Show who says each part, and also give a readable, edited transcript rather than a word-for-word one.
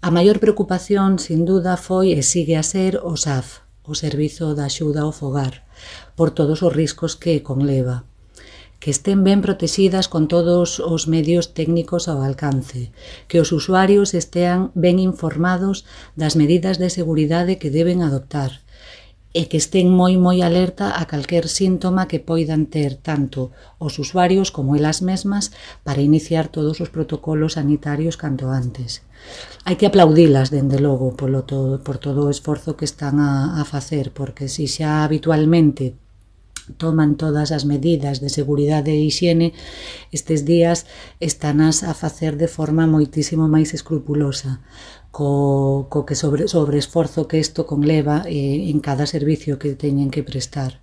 Speaker 1: A maior preocupación, sin duda, foi e sigue a ser o SAF, o Servizo de Axuda ao Fogar, por todos os riscos que conleva. Que estén ben protexidas con todos os medios técnicos ao alcance, que os usuarios estean ben informados das medidas de seguridade que deben adoptar e que estén moi alerta a calquer síntoma que poidan ter tanto os usuarios como elas mesmas para iniciar todos os protocolos sanitarios canto antes. Hai que aplaudilas, dende logo, por todo o esforzo que están a facer, porque se xa habitualmente toman todas as medidas de seguridade e hixiene, estes días estanas a facer de forma moitísimo máis escrupulosa, co que sobre esforzo que isto conleva en cada servicio que teñen que prestar.